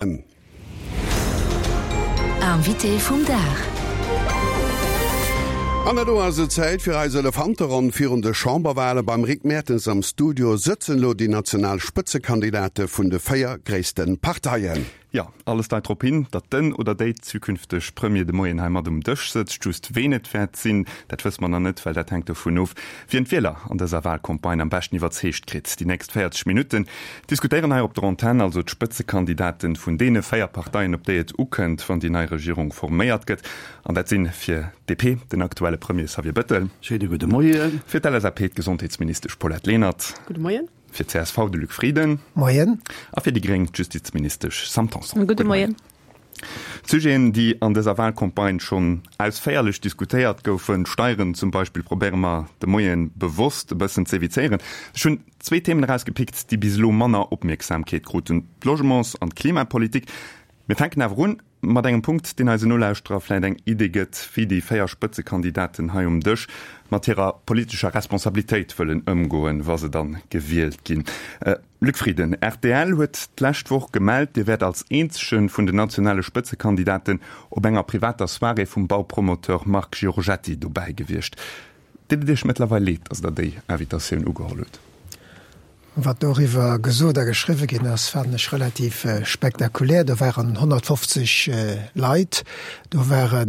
Invité vum Dag. An elo ass et Zäit fir eis Elefanteronn virun de Chamberwale. Beim Rick Mertens am Studio sëtzen elo déi national Spëtzekandidate vun de 4 gréisste Parteien. Jo, alles deit drop hin, datt den oder déi zukünfteg Premier de Moien hei mat um Dësch sëtzt. Just ween et wäert sinn, dat wësse mer nach net, well dat hänkt dovun of, wien d'Wieler an dëser Walcampagne am beschten iwwerzeegt kritt. Déi nächst 40 Minutten diskutéieren hei op der Antenn also d'Spëtzekandidaten vun deene 4 Parteien, op déi et ukënnt, wann déi nei Regierung forméiert gëtt. An dat sinn fir d'DP den aktuelle Premier Xavier Bettel. Schéine gudde Moien. Fir d'LSAP d'Gesondheetsministesch Paulette Lenert. Gudde Moien. Fir d'CSV de Luc Frieden. Moien. A fir déi Gréng d'Justizministesch Sam Tanson. Gudde Moien. D'Sujeten, déi an dëser Wahlcampagne schonn ausféierlech diskutéiert goufen, d'Steieren zum Beispill, probéiere mer de Moien bewosst e bëssen z'évizéieren. Ech hunn zwee Themen erausgepickt, déi bis elo manner Opmierksamkeet kruten, d'Logements an d'Klimapolitik. Mir fänken awer un mat engem Punkt, deen eisen Nolauschterer vläit eng Idee gëtt, wéi déi 4 Spëtzekandidaten hei um Dësch mat hirer politescher Responsabilitéit wëllen ëmgoen, wa se dann gewielt ginn. Luc Frieden, rtl huet d'lescht Woch gemellt, Dir wäert als eenzege vun den nationale Spëtzekandidaten op enger privater Soirée vum Baupromoteur Marc Giorgetti dobäi gewiescht. Deet et Iech mëttlerweil leed, datt Der déi Invitatioun ugeholl hutt? Wat doriwwer gesot a geschriwwe ginn ass, fannen ech relativ spektakulär. Do waren 150 Leit, do ware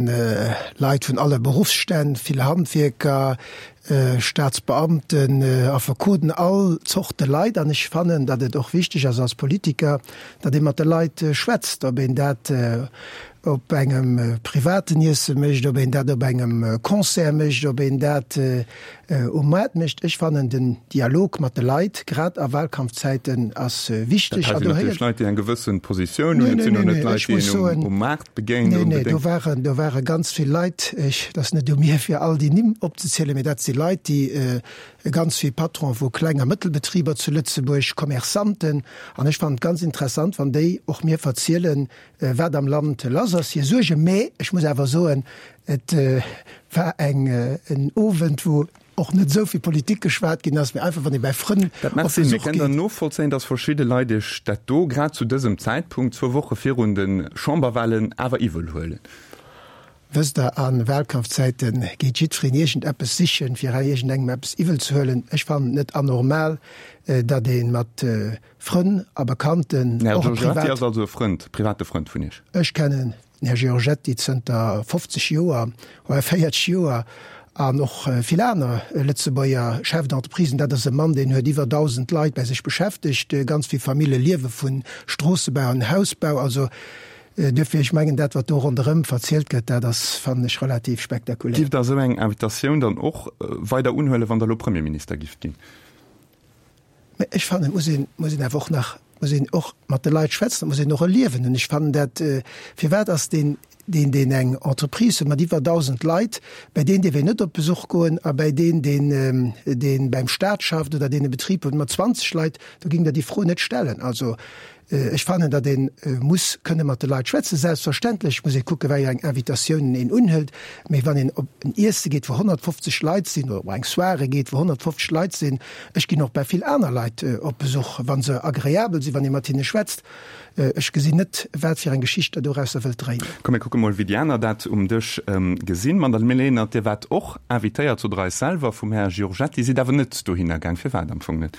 Leit vun alle Beruffsstänn, vill Handwierker, Staatsbeamten, Affekoten, all Zorte Leit. An ech fannen, datt et och wichteg ass als Politiker, datt ee mat de Leit schwätzt, ob een dat op engem privaten Iesse mécht, ob een dat op engem Concert mécht, ob een dat um Moart mécht. Ech fannen den Dialog mat de Leit, grad a Wahlkampfzäiten, ass wichteg. Dat hei sinn natierlech Leit, déi eng gewëssen Positioun hunn. Et sinn och net Leit, déi een um Maart begéint Nee, nee, do waren, do ware ganz vill Leit. Ech, et ass net u mir, fir all déi Nimm opzezielen, mee dat si Leit, déi ganz vill Patronen vu Kleng a Mëttelbetriber zu Lëtzebuerg, Commerçanten. An ech fannen et ganz interessant, wann déi och mir verzielen, wat am Land lass ass, hir Suergen. Mä ech muss awer soen, et war eng, en Owend, wou och net esou vill Politik geschwat ginn ass, mee einfach wann ee bäi Frënn Dat mag op sinn, mee Besuch kennt Der geet. novollzéien, datt verschidde Leit Iech dat do, grad zu dësem Zäitpunkt, zwou Woche virun de Chamberwahlen, awer iwwel huelen? Wësst Der, a Wahlkampfzäite geet jiddwereen iergendeppes sichen, fir iergendengem eppes iwwel ze huelen. Ech fannen et net anormal, datt ee mat Frënn a Bekannten, Den Här och e Giorgetti privat. ass also e Frënd, private Frënd vun Iech? Ech kennen den Här Giorgetti zënter 50 Joer, oder 40 Joer, an och vill aner Lëtzebuerger Chefs d'entreprisen. Dat ass e Mann, deen huet iwwer 1.000 Leit bei sech beschäftegt. Ganz vill Famille liewe vu Stroossebau an Hausbau. Also duerfir, ech mengen, dat wat do ronderëm verzielt gëtt, dat ass, fannen ech, relativ spektakulär. Giff Der esou eng Invitatioun dann och weider unhuelen, wann Der elo Premierminister gifft ginn? Mä ech fannen, et muss een, muss een awer och nach, muss een och mat de Leit schwätzen, et muss een och e Liewen hunn. Ech fannen dat, firwat ass deen, deen, deen eng Entreprise huet mat iwwer 1.000 Leit, bäi deen dierf een net op Besuch goen a bäi deen, deen, deen beim Staat schafft oder deen e Betrib huet mat 20 Leit, do géing Der déi Fro net stellen. Also Ech fannen, datt ee muss kënne mat de Leit schwätzen. Selbstverständlech muss ee kucken, wéi eng Invitatiounen een unhëlt. Mee wann een op en Iesse geet, wou 150 Leit sinn, oder op eng Soirée geet, wou 150 Leit sinn, ech ginn och bei vill aner Leit op Besuch, wa se agreabel sinn, wann ee mat hinne schwätzt, ech gesinn net, wat fir eng Geschicht Der dorausser wëllt dréinen. Komm, mir kucke mol, wéi déi aner dat um Dësch gesinn. Madame Lenert, Dir waart och invitéiert, sot Der eis selwer, vum Här Giorgetti, sidd awer net dohinner gaang. Firwat am Fong net?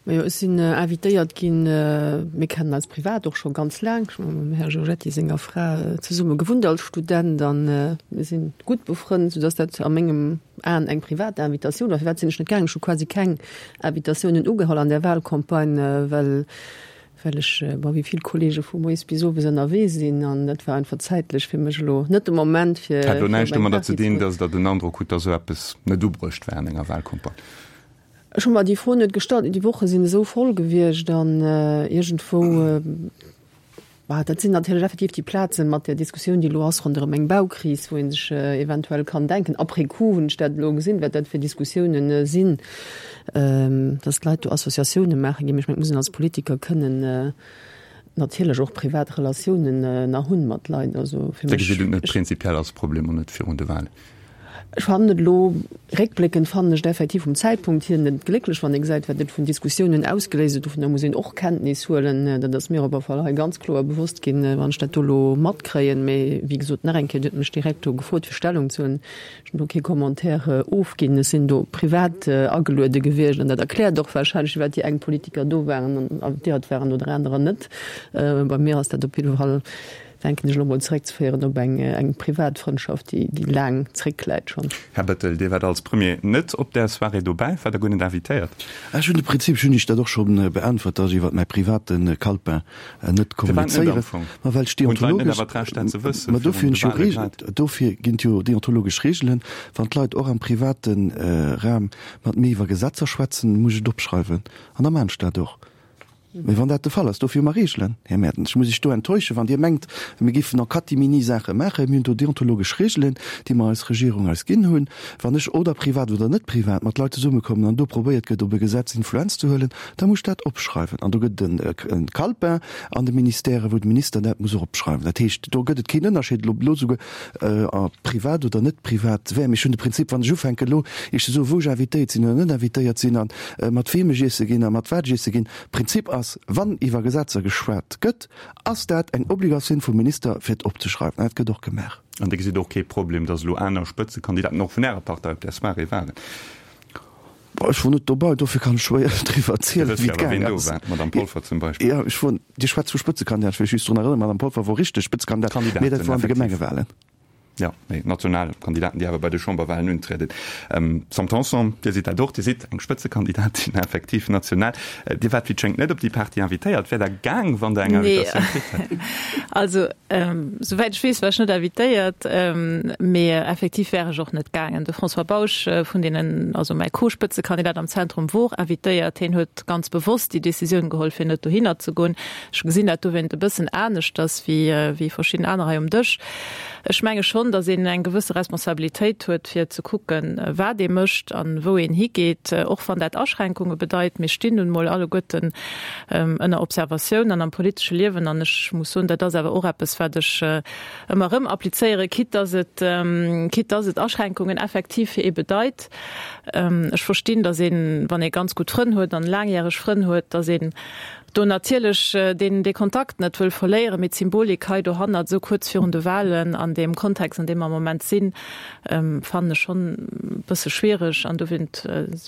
Majo, ech sinn invitéiert ginn. Mir kennen eis privat och scho ganz laang. Ech hu mam Här Giorgetti senger Fra zesumme gewunnt als Student a mir si gutt befrënnt, soudass dat a mengem Aen eng privat Invitatioun war. Firwat sinn ech net gaangen? Ech hu quasi keng Invitatiounen ugeholl an där Wahlcampagne, well well ech, bon, wéi vill Kollege vu moies bis owes ënnerwee sinn an dat war einfach zäitlech fir mech elo net de Moment fir. Hat elo näischt domadder ze dinn, datt Der den Androck hutt, datt esou eppes net ubruecht war an enger Wahlcampagne? Ech hu mer déi Fro net gestallt. Déi Woche sinn esou voll gewiescht an iergendwou, bah, dat sinn natierlech effektiv déi Plazen mat där Diskussioun, déi elo ass ronderëm eng Baukris, wou ee sech eventuell kann denken, après coup hunn ech dat elo gesinn, wat dat fir Diskussiounen sinn, dass d'Leit do Associatioune maache ginn. Mee ech mengen, et muss een als Politiker kënnen natierlech och privat Relatiounen nach hunn mat Leit. Also fir mech. Dir gesitt et net prinzipiell als Problem an net virun de Wahlen? Ech fannen et elo, réckbléckend fannen ech et effektiv vum Zäitpunkt hier net glécklech, wann ee gesäit, wat et vun Diskussiounen ausgeléist huet. Dovunner muss een och Kenntnis huelen. Dat ass mir op alle Fall hei ganz kloer bewosst ginn, wann ech dat do elo matkréien. Mee wéi gesot, nach eng Kéier, Dir hutt mech direkt do gefrot, fir Stellung ze huelen. Ech hunn do kee Commentaire ofginn. Ech sinn do privat ageluede gewiescht an dat erkläert och warscheinlech, firwat déi eng Politiker do waren an invitéiert waren oder anerer net. Bei mir ass dat op jidde Fall denken ech elo mol, zeréckzeféieren op eng eng privat Frëndschaft, déi déi laang zréckläit schonn. Här Bettel, Dir waart als Premier net op där Soirée dobäi, waart Der guer net invitéiert? Ech hunn de Prinzip, ech hunn Iech dat och scho beäntwert, datt ech iwwer mäi private Calepin net kommunizéieren. Ma well ech deontologesch, ma dofir hunn ech jo Reegelen, dofir ginn et jo deontologesch Reegelen, wann d'Leit och am private Raum mat mir iwwer Gesetzer schwätzen, muss ech et opschreiwen an da maachen ech dat och. Mee wann dat de Fall ass, dofir hu mer Reegelen, Här Mertens. Ech muss Iech do enttäuschen, wann Dir mengt, mir géifen en catimini Saache maachen. Mir hunn do deontologesch Reegelen, déi mer als Regierung eis ginn hunn. Wann ech oder privat oder net privat mat Leit zesummekommen an do probéiert gëtt, op e Gesetz Influenz ze huelen, da muss ech dat opschreiwen. An do gëtt et e Calepin an de Ministèren, wou de Minister dat muss eropschreiwen. Dat heescht, do gëtt et keen Ënnerscheed, ob elo esouguer privat oder net privat wär. Mee ech hunn de Prinzip, wann ech ufänken elo Iech ze soen, wou ech invitéiert sinn oder net invitéiert sinn a mat weem ech iesse ginn a mat wat ech iesse ginn, Prinzip ass, wann iwwer Gesetzer geschwat gëtt, ass dat eng Obligatioun vum Minister fir et opzeschreiwen. An dat gëtt och gemaach. An Dir gesitt och kee Problem, datt elo aner Spëtzekandidaten och vun Ärer Partei op där Soirée waren? Ech wor net dobei, dofir kann ech schwéier driwwer erzielen, wéi et gaang ass. D'Madame Polfer zum Beispill. Jo, ech wor, Dir schwätzt vu Spëtzekandidaten, ech wëll lech just drun erënneren, d'Madame Polfer wor richteg Spëtzekandidat, mee dat wor an de Gemengewahlen. Jo, mee national Kandidaten, déi awer bei de Chamberwahlen untrieden. Sam Tanson, Dir sidd dat och, Dir sidd eng Spëtzekandidatin effektiv national. Dir waart wéi et schéngt net op déi Party invitéiert. Wäert Der gaang, wann Der eng Invitatioun kritt hätt? Also, Souwäit ech weess, war ech net invitéiert, mee effektiv wär ech och net gaangen. De François Bausch vun deenen, also mäi Co-Spëtzekandidat am Zentrum, wor invitéiert. Hien huet ganz bewosst déi Decisioun geholl, fir net dohinner ze goen. Ech gesinn dat dowéint e bëssen aneschters wéi wéi verschidden aner hei um Dësch. Ech menge schonn, datt een eng gewësse Responsabilitéit huet, fir ze kucken, wat ee mécht an wou een higeet, och wann dat Aschränkunge bedeit. Mir stinn nun emol alleguerten ënner Observatioun an am politesche Liewen. An ech muss soen, dat ass awer och eppes, wat ech ëmmer erëm applizéieren, quitte dass et, quitte dass et Aschränkungen effektiv fir ee bedeit. Ech verstinn, dass een, wann ee ganz gutt Frënn huet an laangjäreg Frënn huet, dass een do natierlech deen, dee Kontakt net wëll verléieren. Mee d'Symbolik hei dohannert, esou kuerz virun de Wahlen, an deem Kontext, an deem mer am Moment sinn, fannen ech schonn e bësse schwiereg. An dowéint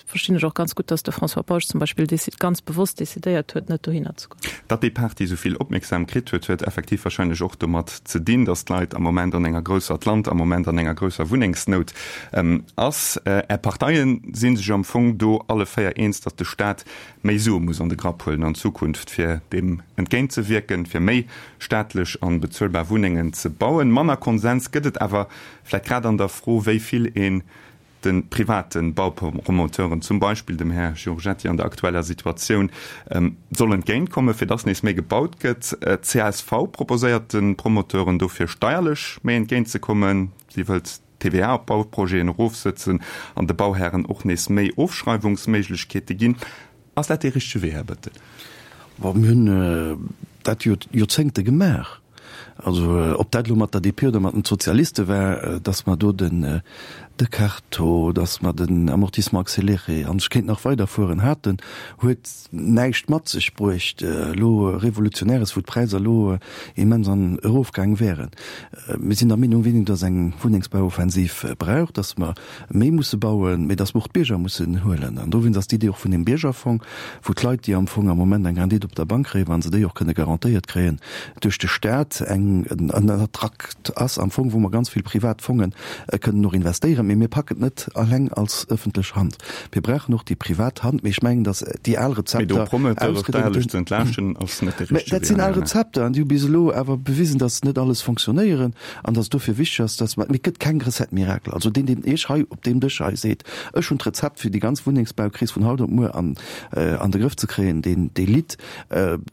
Verstinn ech och ganz gutt, dass de François Bausch zum Beispill ganz bewosst decidéiert huet, net dohinner ze goen. Datt déi Party esou vill Opmierksam kritt huet, huet effektiv wahrscheinlech och domat ze dinn, datt d'Leit am Moment an enger grousser, d'Land am Moment an enger grousser Wunnengsnout ass. Är Parteie si sech am Fong do alle 4 eens, datt de Staat méi Sue muss an de Grapp huelen an Zukunft, fir deem entgéintzewierken, fir méi staatlech an bezuelbar Wunnengen ze bauen. Manner Konsens gëtt et awer vläicht grad an der Fro, wéi vill een de private Baupromoteuren, zum Beispill dem Här Giorgetti an der aktueller Situatioun, soll entgéintkommen, fir dass nees méi gebaut gëtt. D'CSV proposéiert de Promoteuren dofir steierlech méi entgéintzekommen. Si wëllt d'TVA op Bauprojeten erofsëtzen an de Bauhären och nees méi Ofschreiwungsméiglechkeete ginn. Ass dat dee richtege Wee, Här Bettel? Bon, mir hunn dat jo Joerzéngte gemaach. Also ob dat elo mat der DP oder mat den Sozialiste war, datt mer do den de Carto, datt mer den Amortissement accéléré, an ech kéint nach weiderfueren, haten, huet näischt mat sech bruecht elo Revolutionäres, wou d'Präisser elo immens an erofgaang wären. Mir sinn der Meenung, wéi datt eng Wunnengsbauoffensiv brauch, datt mer méi musse bauen, mee datt mer och d'Bierger mussen huelen. An dowéinst ass d'Idee och vun deem Biergerfong, wou d'Leit, déi am Fong am Moment eng Rendite op der Bank kréien, wa se déi och kënne garantéiert kréien duerch de Staat, eng en Attrakt ass am Fong, wou mer ganz vill privat Fonge kënnen och investéieren. Mee mir packen et net alleng als ëffentlech Hand. Mir brauchen och déi privat Hand. Mee ech mengen, datt déi al Rezepter ausgedéngt hunn. Mä dat sinn al Rezepter an déi hu bis elo awer bewisen, datt net alles fonctionnéieren. An dass et dofir wichteg ass, dass mer, mee et gëtt keng Recette miracle. Also deen, deen Iech hei op deem Dësch hei seet, ech hunn d'Rezept fir déi ganz Wunnengsbaukris vun haut op muer an an de Grëff ze kréien, deen, dee litt.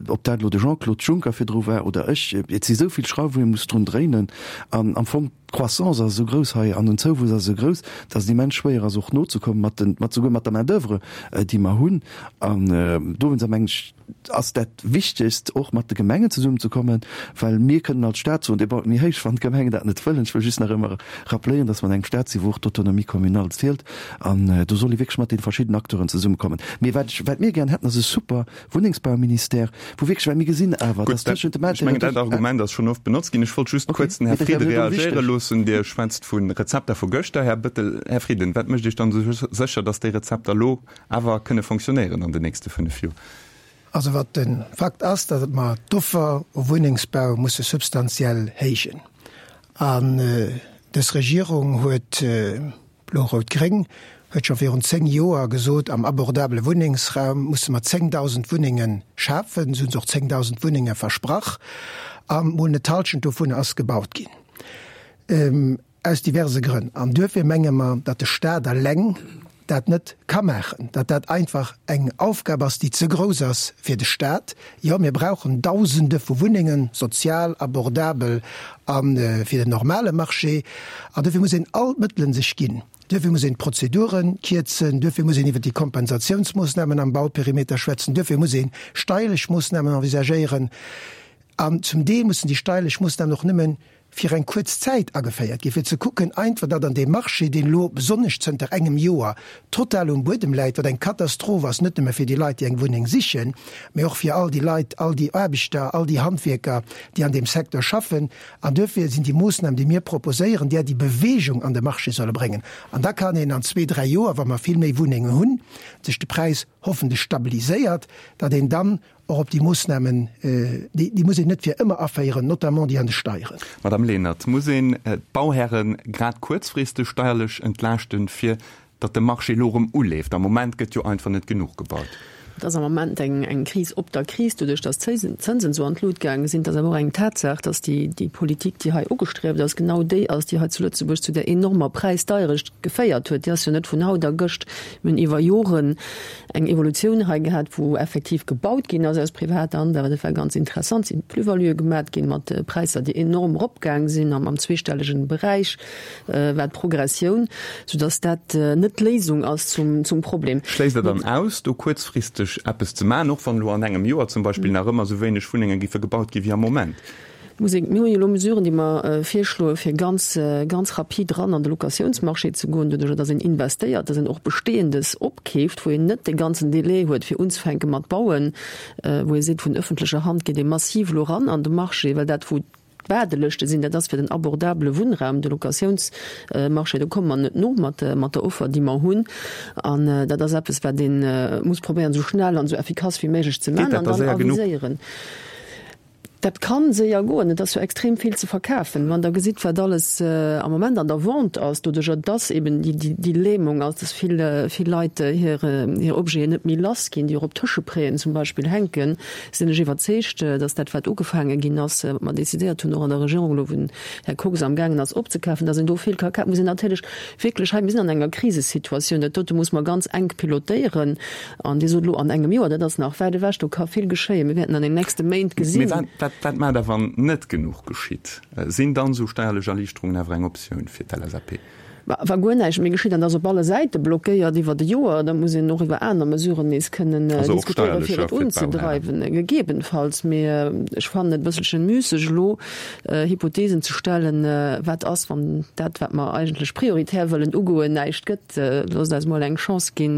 Ob dat elo de Jean-Claude Juncker virdru war oder ech, et si sou vill Schrauwen, wou ee muss drun dréinen. An am Fong. D'Croissance ass esou grouss hei an den Zouwuess ass esou grouss, datt et immens schwéier ass och nozekommen mat den, mat souguer mat der Main d'oeuvre, déi mer hunn. An dowéinster mengen ech, ass dat Wichtegst och mat de Gemengen zesummenzekommen, well mir kënnen als Stat soen, Dir baut méi héich, wann d'Gemengen dat net wëllen. Ech wëll just nach ëmmer rappeléieren, datt mer an engem Stat sinn, wou och d'Autonomie communale zielt. An do soll ee wierklech mat deene verschiddenen Acteuren zesummekommen. Mee wat ech, wat mir gären hätten, ass e super Wunnengsbauministère, wou wierklech, well mir gesinn awer, dass tëschent dem Ech mengen, dat Argument ass schonn oft benotzt ginn. Ech wollt just kuerz den Här Frieden reagéiere loossen. Dir schwätzt vu Rezepter vu gëschter, Här Bettel. Här Frieden, wat mécht Iech dann esou sécher, dass déi Rezepter elo awer kënne fonctionnéieren an den nächste 5 Joer? Also wat de Fakt ass, datt mer d'Offer u Wunnengsbau musse substantiell héijen. An dës Regierung huet, Blo-Rout-Gréng huet scho virun 10 Joer gesot, am abordabele Wunnengsraum musse mer 10.000 Wunnenge schafen. Se hunn se och 10.000 Wunnenge versprach a mol net d'Hallschent dovunner ass gebaut ginn, aus diverse Grënn. An duerfir menge mer, datt de Stat eleng dat net ka maachen, datt dat einfach eng Aufgab ass, déi ze grouss ass fir de Stat. Jo, mir brauchen Dausende vu Wunnengen, sozial, abordabel a fir den normale Marché. An duerfir muss een all d'Mëttelen sech ginn. Duerfir muss een d'Prozedure kierzen, duerfir muss een iwwer déi Kompensatiounsmoossnamen am Bauperimeter schwätzen, duerfir muss ee steierlech Moossnamen envisagéieren. An zum Deel mussen déi steierlech Moossnamen och nëmme fir eng kuerz Zäit ageféiert ginn, fir ze kucken einfach, datt an deem Marché, deen elo besonnesch zënter engem Joer total um Buedem läit, wat eng Katastroph ass, net nëmme fir déi Leit, déi eng Wunneng sichen, mä och fir all déi Leit, all déi Aarbechter, all déi Handwierker, déi an deem Secteur schaffen. An duerfir sinn déi Moossnamen, déi mir proposéieren, där déi Bewegung an de Marché solle bréngen. An da kann een an zwee, dräi Joer, wa mer vill méi Wunnengen hunn, sech de Präis hoffentlech stabiliséiert, datt een dann och op déi Moossnamen, déi muss een net fir ëmmer aféieren, notamment déi an de Steieren. Madame Lenert, muss een d'Bauhäre grad kuerzfristeg steierlech entlaaschten, fir datt de Marché elo erëm uleeft? Am Moment gëtt jo einfach net genuch gebaut. Et ass am Moment eng Kris op der Kris, doduerch datt d'Zënsen esou an d'Lut gaange sinn. Et ass awer och eng Tatsaach, datt déi Politik, déi hei ugestrieft ass, genau déi ass, déi hei zu Lëtzebuerg zu där enormer Präisdeierecht geféiert huet. Déi ass jo net vun haut a gëscht. Mir hunn iwwer Joren eng Evolutioun hei gehat, wou effektiv gebaut ginn ass aus privater Hand, awer dat war ganz interessant, sinn Plus-valuë gemat ginn mat Präisser, déi enorm eropgaang sinn am am zweestellegen Beräich war d'Progressioun, soudass dat net d'Léisung ass zum zum Problem. Schléisst Der dann aus, do kuerzfristeg eppes ze maachen, och wann elo an engem Joer zum Beispill nach ëmmer esou wéineg Wunnenge giffe gebaut gi wéi am Moment? Muss een, mir hu jo elo Mesuren, déi mer virschloen, fir ganz, ganz rapid eran an de Locatiounsmarché ze goen, doduerjer datt een investéiert, datt een och Besteeëndes opkeeft, wou een net dee ganzen Délai huet, fir unzefänke mat bauen, wou ee seet, vun ëffentlecher Hand geet ee massiv elo eran an de Marché, well dat, wou d'Waardelëschte sinn, dat ass fir den abordabele Wunnraum, de Locatiounsmarché, do komme mer net no mat der Offer, déi mer hunn. An dat ass eppes, wat ee muss probéieren, esou schnell an esou effikass wéi méiglech ze maachen an dann aviséieren. Dat ka séier goen. Et ass jo extrem vill ze verkafen. Wann Der gesitt, wat alles am Moment an der Vente ass, doduerjer dass eben déi Lähmung ass, dass vill, vill Leit hir, hir Objeten net méi lass ginn, déi och op Tëschepréien zum Beispill hänken, sinn ech iwwerzeegt, dass dat, wat ugefaange ginn ass, wat mer decidéiert hunn, och an der Regierung elo, wou den Här Kox amgaangen ass opzekafen, dass een do vill ka kafen. Muss een natierlech wierklech hei, mir sinn an enger Krisesituatioun, dat dote muss mer ganz enk pilotéieren. An Dir sot elo an engem Joer, dat ass nach wäit ewech, do ka vill geschéien. Mir wäerten an den nächste Méint gesinn. Mee wat, wat maacht Der, wann net genuch geschitt? Sinn dann esou steierlech Erliichterungen awer eng Optioun fir d'LSAP? Wa guer näischt méi geschitt, an dat ass op alle Säite blockéiert iwwert e Joer, da muss een och iwwer aner Mesuren nees kënnen diskutéieren, fir et unzedreiwen, gegebenfalls. Mee ech fannen et e bësselchen müsseg elo Hypothesen ze stellen, wat ass, wann dat, wat mer eigentlech prioritär wëllen ugoen, näischt gëtt. Loosst eis mol eng Chance ginn,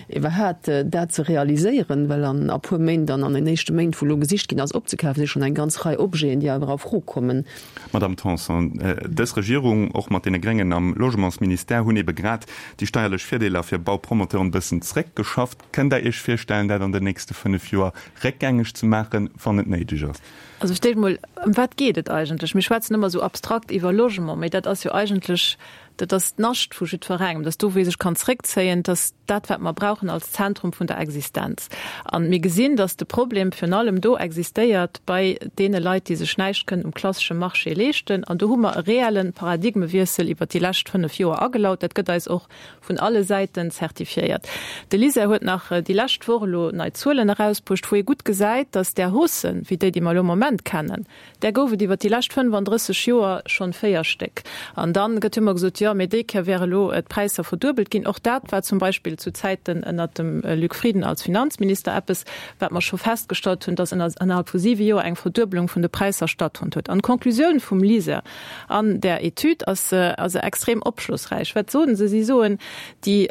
iwwerhaat dat ze realiséieren, well an a puer Méint an an den éischte Méint, wou elo gesicht ginn ass opzekafen, si schonn eng ganz Rei Objeten, déi awer a Fro kommen. Madamm Tanson, dës Regierung, och mat deene Gréngen am Logementsministère, hunn ebe grad déi steierlech Virdeeler fir Baupromoteuren e bëssen zréckgeschafft. Kënnt Der Iech virstellen, dat an den nächste 5 Joer réckgängeg ze maachen, wann et néideg ass? Also fir d'éischt emol, ëm wat geet et eigentlech? Mir schwätzen ëmmer esou abstrakt iwwer Logement, mee dat ass jo eigentlech Dat ass d'Nascht vu jiddwerengem, dat ass do, wou ee sech kann zréckzéien, dat ass dat, wat mer brauchen als Zentrum vun der Existenz. A mir gesinn, dass de Problem virun allem do existéiert bei deene Leit, déi sech näischt kënnen um klassesche Marché leeschten. An do hu mer e reelle Paradigmewiessel iwwert déi lescht 5 Joer agelaut. Dat gëtt eis och vun alle Säiten zertifiéiert. De LISER huet nach déi lescht Woch elo nei Zuelen erausbruecht, wou ee gutt gesäit, dass där Haussen, wéi déi, déi mer elo am Moment. Moment kennen, där gouf et iwwer déi lescht 35 Joer schonn 4 Stéck. An da gëtt jo ëmmer gesot, jo, mee déi Kéier wäre lo d'Präisser verduebelt ginn. Och dat war zum Beispill zu Zäiten ënnert dem Luc Frieden als Finanzminister eppes, wat mer scho festgestallt hunn, dass ënnerhalb vu siwe Joer eng Verduebelung vun de Präisser stattfonnt huet. An d'Conclusioun vum LISER an där Etüd ass also extrem opschlossräich. Wat soen se? Si soen, déi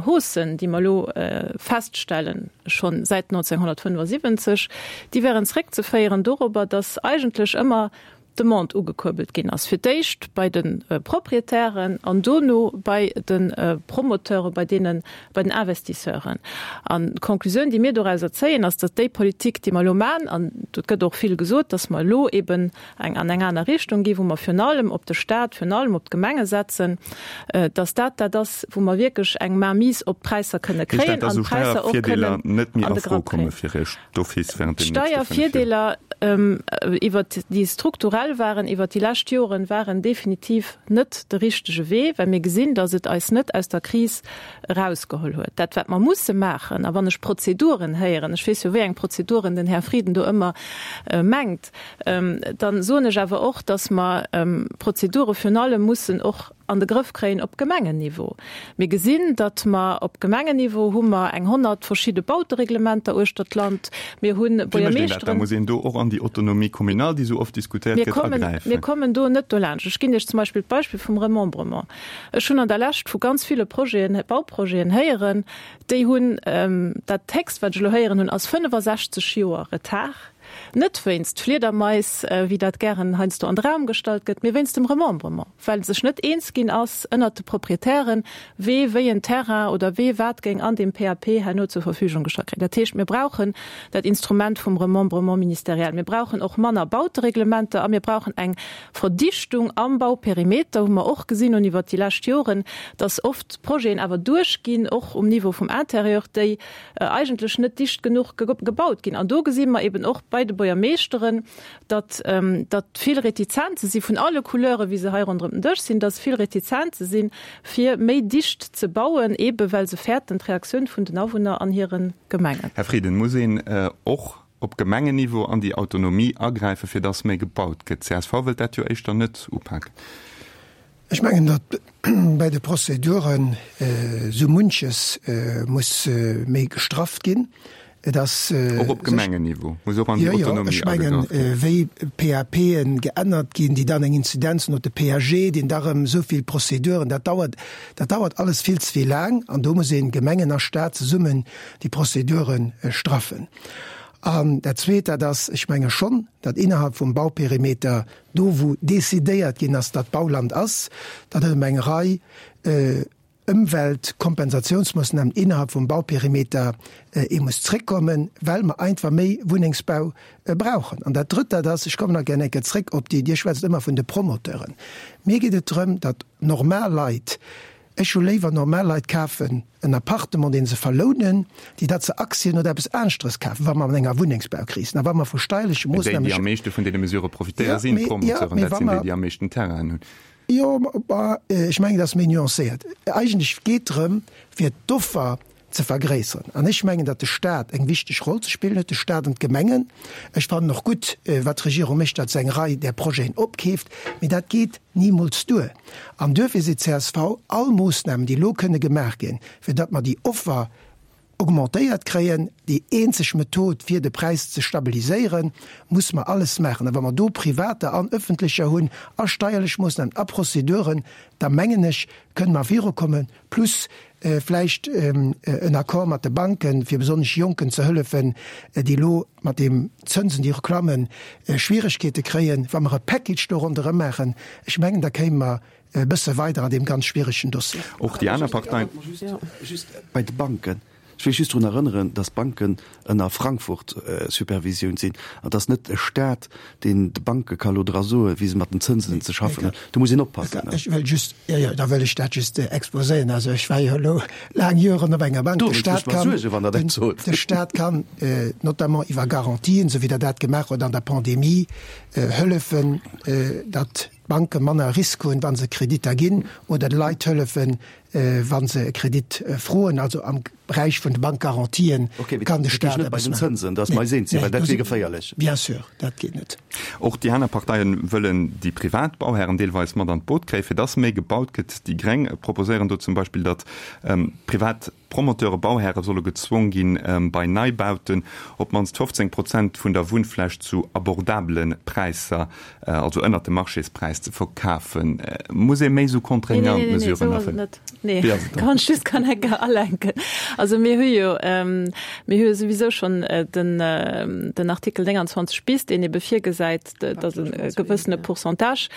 Haussen, déi mer elo feststellen, scho säit 1975, déi wären zréckzeféieren dorobber, dass eigentlech ëmmer d'Demande ugekuerbelt ginn ass, fir d'éischt bei de Proprietären an dono bei de Promoteuren, bei deene, bei den Investisseuren. An d'Conclusioun, déi mir dorauser zéien, ass, datt déi Politik, déi mer elo maachen, an et gëtt och vill gesot, datt mer elo eben eng an eng aner Richtung ginn, wou mer virun allem op de Stat, virun allem op d'Gemenge setzen, datt dat dat ass, wou mer wierklech eng Mainmise op d'Präisser kënne kréien an d'Präisser och kënnen an de Grapp kréien. D'Steiervirdeeler, iwwert déi strukturell waren iwwert déi lescht Joren, waren definitiv net de richtege Wee, well mir gesinn, datt et eis net aus der Kris erausgeholl huet. Dat wat mer musse maachen, a wann ech Prozeduren héieren, ech weess jo wéi eng Prozeduren den Här Frieden do ëmmer mengt, Dann soen ech awer och, dass mer Prozedure virun allem mussen och an de Grëff kréien op Gemengenniveau. Mir gesinn, datt mer op Gemengenniveau hu mer eng 100 verschidde Bautereglementer uechter d'Land. Mir hu Wéi mécht een dat? Da Buergermeeschteren. muss een do och an déi Autonomie communale, déi esou oft diskutéiert Mir gëtt, kommen, agräifen. mir kommen do net dolaanscht. Ech ginn Iech zum Beispill d'Beispill vum Remembrement. Ech hunn an der Lescht vu ganz ville Projeten, Bauprojeten héieren, déi hunn, dat héchst wat ech elo héieren hunn, ass 65 Joer Retard. Net wéinst Fliedermais, wéi dat gären heiansdo an de Raum gestallt gëtt, mee wéinst dem Remembrement, well sech net eens ginn ass ënnert de Proprietären, wee wéi en Terrain oder wee wat géing an deem PAP herno zur Verfügung gestallt kréien. Dat heescht, mir brauchen dat Instrument vum Remembrement ministériel. Mir brauchen och manner Bautereglementer a mir brauchen eng Verdichtung am Bauperimeter, hu mer och gesinn hunn iwwert déi lescht Joren, dass oft Projeten awer duerchginn, och um Niveau vum Intérieur, déi eigentlech net dicht genuch gebaut ginn. An do gesi mer eben och bei de Buergermeeschteren, datt, datt vill Retizenze si vun alle Couleure wéi se hei ronderëm den Dësch sinn, datt vill Retizenze sinn, fir méi dicht ze bauen, ebe well se fäerten d'Reaktioun vun den Awunner an hire Gemengen. Här Frieden, muss een och op Gemengenniveau an déi Autonomie agräifen, fir datt méi gebaut gëtt? Csv wëllt dat jo éischter net upaken. Ech mengen, datt bei de Prozeduren esou munches muss méi gestrafft ginn. Et ass. Och op Gemengenniveau muss och an déi Autonomie agegraff ginn. Jo, jo, ech mengen, wéi PAPen geännert ginn, déi dann eng Inzidenz hunn op de PAG, deen da erëm esou vill Prozeduren, dat dauert, dat dauert alles vill ze vill laang. An do muss een, Gemengen a Stat zesummen, déi Prozedure straffen. An dat Zweet, dat ass, ech menge schonn, datt innerhalb vum Bauperimeter Do wou decidéiert ginn ass, datt Bauland ass, datt et ëm eng Rei Ëmweltkompensatiounsmoossnamen innerhalb vum Bauperimeter ee muss zréckkommen, well mer einfach méi Wunnengsbau brauchen. An dat Drëtt, dat ass, ech kommen nach gär eng Kéier zréck op déi, Dir schwätzt ëmmer vun de Promoteuren, mir geet et drëm, datt normal Leit, Ech hu léiwer normal Leit kafen en Appartement deen se verlounen, déi datt se Aktien oder eppes aneschteres kafen, wa mer an enger Wunnengsbaukris sinn a wa mer vu steierleche Mä déi, déi am meeschte vun deene Mesurë profitéieren, sinn d'Promoteuren. Dat sinn déi, déi am meeschten Terrainen hunn. Jo, ma ech mengen, dat ass méi nuancéiert. Eigentlech geet drëm, fir d'Offer ze vergréisseren. An ech mengen, datt de Stat eng wichteg Roll ze spillen huet, de Stat an d'Gemengen. Ech fannen och gutt, wat d'Regierung mécht, datt se eng Rei där Projeten opkeeft, mee dat geet nimools duer. An duerfir seet csv, all Moossnamen, déi elo kënne gemaach ginn, fir datt mer déi Offer augmentéiert kréien, déi eenzeg Method, fir de Präis ze stabiliséieren, muss mer alles maachen. A wa mer do privater an öffentlecher hunn a steierlech Moossnamen a Prozeduren, da mengen ech, kënne mer virukommen. Plus vläicht en Accord mat de Banken, fir besonnesch Jonken ze hëllefen, déi elo mat deem Zënsen, déi eroklammen, Schwieregkeete kréien. Wa mer e Package do ronderëm maachen, ech mengen, da kéime mer e bësse weider an deem ganz schwieregen Dossier. Och déi aner Parteien. Just bei de Banken, Ech wéll just drun erënneren, dass d'Banken ënner Frankfurt-Supervisioun sinn an dass net e Stat, deen de Banke ka lo dra soen, wéi se mat den Zënsen ze schaffen hunn. Do muss een oppassen. Ech wëll just, jo, jo, da wëll ech dat just exposéieren. Also ech war jo elo laang Joren op enger Bank. Do wëllt ech mer suergen, wann Der dat sot. De Stat kann notamment iwwer Garantien, esou wéi Der dat gemaach hutt an der Pandemie, hëllefen, datt d'Banke manner Risk hunn, wa se Kreditter ginn, oder de Leit hëllefen. wa se e Kredit froen. Also am Beräich vun de Bankgarantien kann de Staat eppes maachen. Bien sûr, dat geet net. Och déi aner Parteien wëllen déi privat Bauhären deelweis mat an d'Boot kréien, fir dass méi gebaut gëtt. Déi Gréng proposéieren do zum Beispill, datt privat Promoteure, Bauhäre solle gezwong ginn, bei Neibauten op d'mannst 15 Prozent vun der Wunnfläch zu abordabele Präisser, also ënnert dem Marchéspräis, ze verkafen. Muss ee méi esou contraignant Mesuren aféieren? Nee, nee, kann ech just kann enke alenken. Also mir hu jo, mir hu jo souwisou schonn den, den Artikel 29 bis, deen ebe virgesäit, datt e gewëssene Pourcentage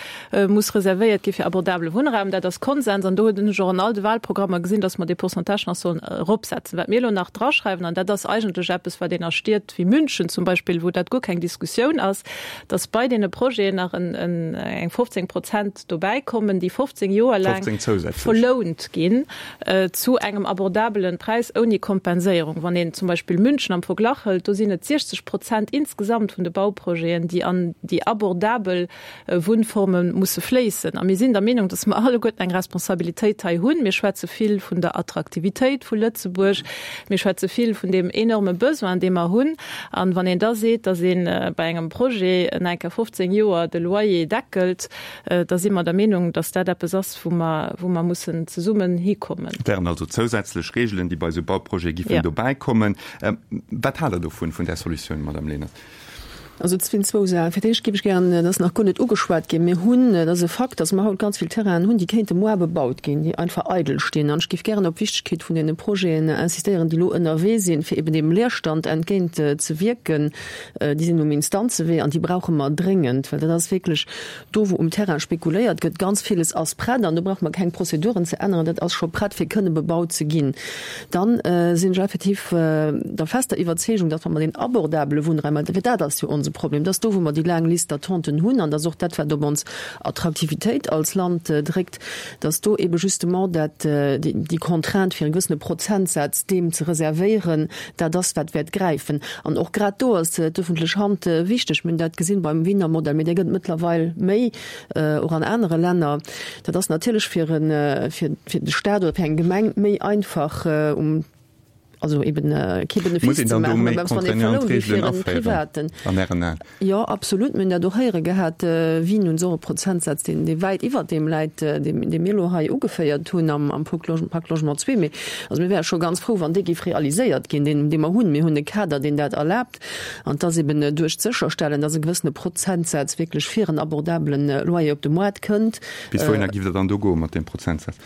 muss reservéiert gi fir abordabele Wunnraum. Dat ass Konsens an do hunn ech och an all de Wahlprogrammer gesinn, datt mer dee Pourcentage nach sollen eropsetzen. Wat mir elo nach draschreiwen, an dat ass eigentlech eppes, wat een a Stied wéi München zum Beispill, wou dat guer keng Diskussioun ass, datt bei deene Projeten nach eng 15 Prozent dobäi kommen, déi 15 Joer laang verlount ginn zu engem abordabelen Präis ouni Kompenséierung. Wann een zum Beispill München am Verglach hëlt, do sinn et 60 Prozent insgesamt vun de Bauprojeten, déi an déi abordabel Wunnforme musse fléissen. A mir sinn der Meenung, dass mer alleguerten eng Responsabilitéit hei hunn. Mir schwätze vill vun der Attraktivitéit vu Lëtzebuerg. Mir schwätze vill vun deem enorme Besoin, dee mer hunn. A wann een da seet, dass ee bei engem Projet en enker 15 Joer de Loyer deckelt, da si mer der Meenung, dass dat eppes ass, wou mer, wou mer mussen zesummen hikommen. Et wären also zousätzlech Regeln, déi bei esou Bauprojete giffen dobäikommen. Wat haalt Der dovun, vun där Solutioun, Madame Lenert? Also et sinn zwou Saachen. Fir d'éischt géif ech gären, dat ass nach guer net ugeschwat ginn, mir hunn, et ass e Fakt, datt mer haut ganz vill Terrainen hunn, déi kéinte moar bebaut ginn, déi einfach eidel stinn. An ech géif gären op d'Wichtegkeet vun deene Projeten insistéieren, déi elo ënnerwee sinn, fir eben deem Leerstand entgéint ze wierken. Déi sinn um Instanzewee an déi brauche mer dréngend, well dat ass wierklech Do wou um Terrain spekuléiert gëtt, ganz villes ass prett an do brauche mer keng Prozeduren ze änneren, dat ass scho prett fir kënne bebaut ze ginn. Dann sinn ech effektiv der fester Iwwerzeegung, datt wa mer deen abordabele Wunnraum, well dat ass jo onse Problem, dat ass do wou mer déi laang Liste d'attenten hunn an dat ass och dat wat op ons Attraktivitéit als Land dréckt, datt do ebe justement dat déi Contrainte fir e gewëssene Prozentsaz deem ze reservéieren, Dat ass, wat wäert gräifen. An och grad do ass d'öffentlech Hand wichteg. Mir hunn dat gesinn beim Wiener Modell, mee dee gëtt et mëttlerweil méi och an anere Länner. Dat ass natierlech fir e, fir de Stat oder fir eng Gemeng méi einfach, um, also eben kee Benefice ze maachen, mä wann ee verlount, wéi fir e Privaten. Jo, absolut. Mir hunn dat och héiere gehat. Wien hunn se och e Prozentsaz, deen, dee wäit iwwert deem läit, dee, dee mir elo hei ugeféiert hunn am, am Pacte Logement zwee. Mee also mir wäre scho ganz frou, wann dee géif realiséiert ginn, deen, dee mer hunn. Mir hunn e Kader, deen dat erlaabt. An et ass eben duerch d'Sécherstellen, dass e gewëssene Prozentsaz wierklech fir en abordabelen Loyer op de Moart kënnt. Bis wouhinner giff Der dann do goe mat deem Prozentsaz?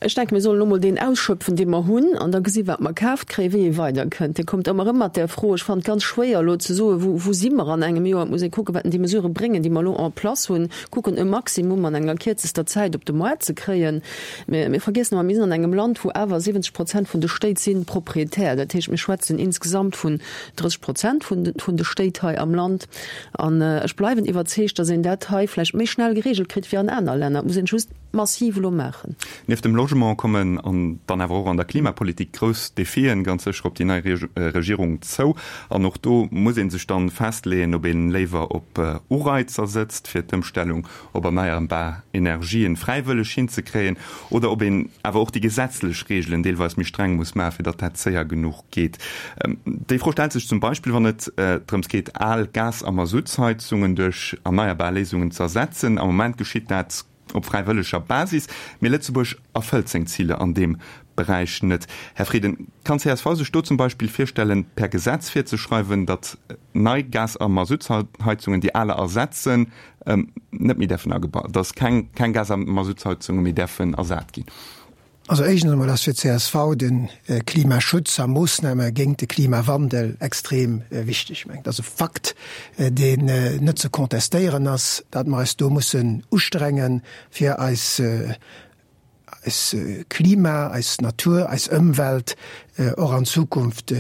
Ech denken, mir sollen elo mol deen ausschöpfen, dee mer hunn, an da gesi wat mer kaaft kréien, wéi ee weiderkënnt. Dir kommt ëmmer erëm mat där Fro. Ech fannen et ganz schwéier elo ze soen, wou, wou si mer an engem Joer. Et muss ee kucken, wat déi Mesurë bréngen, déi mer elo en place hunn, kucken e Maximum an enger kierzester Zäit op de Moart ze kréien. Mir, mir vergiessen ëmmer, mir sinn an engem Land, wou awer 70 Prozent vun de Stéit si Proprietär. Dat heescht, mir schwätzen insgesamt vun 30 Prozent vun de, vun de Stéit hei am Land. An ech bleiwen iwwerzeegt, datt een dat hei vläicht méi schnell geregelt kritt wéi an aner Länner. Et muss een just massiv elo maachen. Nieft dem Logement kommen an dann awer och an der Klimapolitik grouss Defien ganz sécher op déi nei Regierung zou. An och do muss ee sech dann festleeën, ob ee léiwer op Ureizer sëtzt, fir d'Ëmstellung op erneierbar Energien fräiwëlleg hinzekréien, oder ob een awer och déi gesetzlech Reegelen deelweis méi streng muss maachen, fir datt dat séier genuch geet. Déi Fro stellt sech zum Beispill, wann et drëms geet, al Gas a Masuttsheizungen duerch erneierbar Léisungen ze ersetzen. Am Moment geschitt dat op fräiwëlleger Basis, mee Lëtzebuerg erfëllt seng Ziler an deem Beräich net. Här Frieden, kann csv sech do zum Beispill virstellen, per Gesetz virzeschreiwen, datt nei Gas a Masuttsheizungen, déi aler ersetzen, net méi däerfen agebaut, datt keng Gas a Masuttsheizunge méi däerfen ersat ginn? Also éischtens emol ass fir csv de Klimaschutz a Moossname géint de Klimawandel extrem wichteg. Ech mengen, et ass e Fakt, deen net ze contestéieren ass, datt mer eis do mussen ustrengen, fir eis eis Klima, eis Natur, eis Ëmwelt och an Zukunft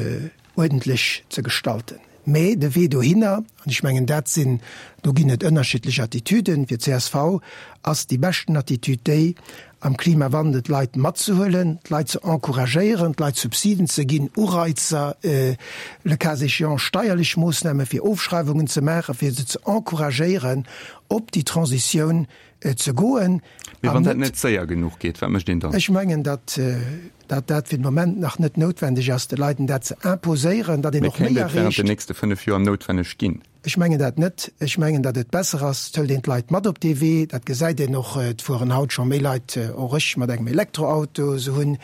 uerdentlech ze gestalten. Mä de Wee dohinner, an ech mengen dat sinn, do ginn et ënnerschiddlech Attitüden, fir csv ass déi beschten Attitüd déi. Am Klimawandel d'Leit matzehuelen, d'Leit ze encouragéieren, d'Leit Subsiden ze ginn, Ureizer, le cas échéant steierlech Moossname fir Ofschreiwungen ze maachen, fir se ze encouragéieren, op déi Transitioun ze goen. Mee wann dat net séier genuch geet, wat mécht een dann? Ech mengen, datt dat fir de Moment nach net noutwendeg ass, de Leiten dat ze imposéieren, datt een Mee och méi kéint et während erreecht. den nächste 5 Joer noutwenneg ginn? Ech mengen dat net. Ech mengen, datt et besser ass, et hëlt een d'Leit mat op dee Wee. Dat gesäit een och, et fueren haut scho méi Leit, och ech, mat engem Elektroauto. Se hunn,